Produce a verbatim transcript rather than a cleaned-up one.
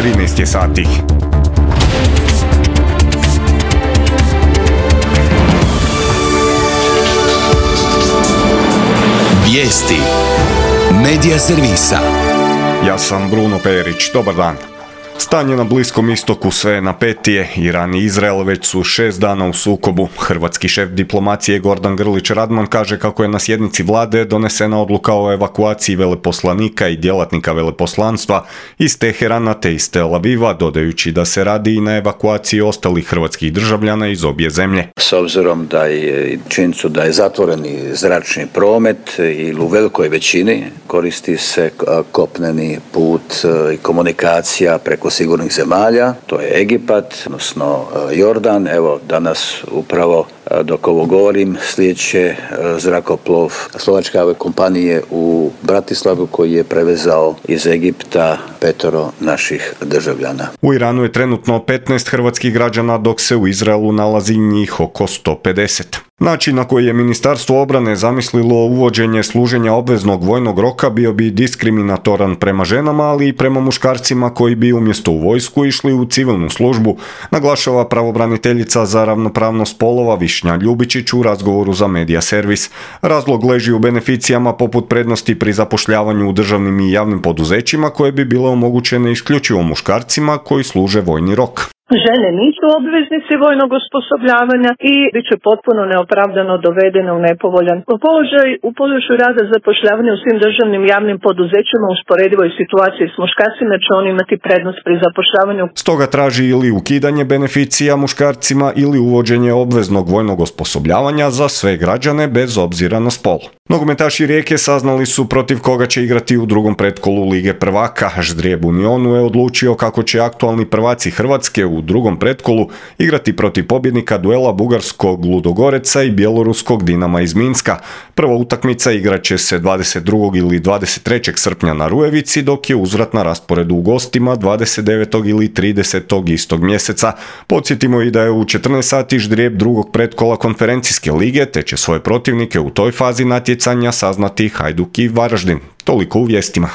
trinaest je sati. Vijesti Medija servisa. Ja sam Bruno Perić, dobar dan. Stanje na Bliskom istoku sve je napetije. Iran i Izrael već su šest dana u sukobu. Hrvatski šef diplomacije Gordan Grlić Radman kaže kako je na sjednici vlade donesena odluka o evakuaciji veleposlanika i djelatnika veleposlanstva iz Teherana te iz Tel Aviva, dodajući da se radi i na evakuaciji ostalih hrvatskih državljana iz obje zemlje. S obzirom da je činjenicu da je zatvoreni zračni promet ili u velikoj većini koristi se kopneni put i komunikacija preko sigurnih zemalja, to je Egipat, odnosno Jordan. Evo danas upravo dok ovo govorim slijeće zrakoplov slovačke kompanije u Bratislavu koji je prevezao iz Egipta petoro naših državljana. U Iranu je trenutno petnaest hrvatskih građana, dok se u Izraelu nalazi njih oko sto pedeset. Način na koji je Ministarstvo obrane zamislilo uvođenje služenja obveznog vojnog roka bio bi diskriminatoran prema ženama, ali i prema muškarcima koji bi umjesto u vojsku išli u civilnu službu, naglašava pravobraniteljica za ravnopravnost spolova Višnja Ljubičić u razgovoru za Medija servis. Razlog leži u beneficijama poput prednosti pri zapošljavanju u državnim i javnim poduzećima koje bi bile omogućene isključivo muškarcima koji služe vojni rok. Žene nisu obveznici vojnog osposobljavanja i bit će potpuno neopravdano dovedene u nepovoljan položaj u području rada zapošljavanja u svim državnim javnim poduzećima u usporedivoj situaciji s muškarcima, će oni imati prednost pri zapošljavanju. Stoga traži ili ukidanje beneficija muškarcima ili uvođenje obveznog vojnog osposobljavanja za sve građane bez obzira na spol. Nogometaši Rijeke saznali su protiv koga će igrati u drugom pretkolu Lige prvaka. Ždrijeb Unionu je odlučio kako će aktualni prvaci Hrvatske u drugom pretkolu igrati protiv pobjednika duela bugarskog Ludogoreca i bjeloruskog Dinama iz Minska. Prva utakmica igrat će se dvadeset drugog ili dvadeset trećeg srpnja na Rujevici, dok je uzvrat na rasporedu u gostima dvadeset devetog ili tridesetog istog mjeseca. Podsjetimo i da je u četrnaest sati ždrijeb drugog pretkola konferencijske lige, te će svoje protivnike u toj fazi natjecanja saznati Hajduk i Varaždin. Toliko u vijestima.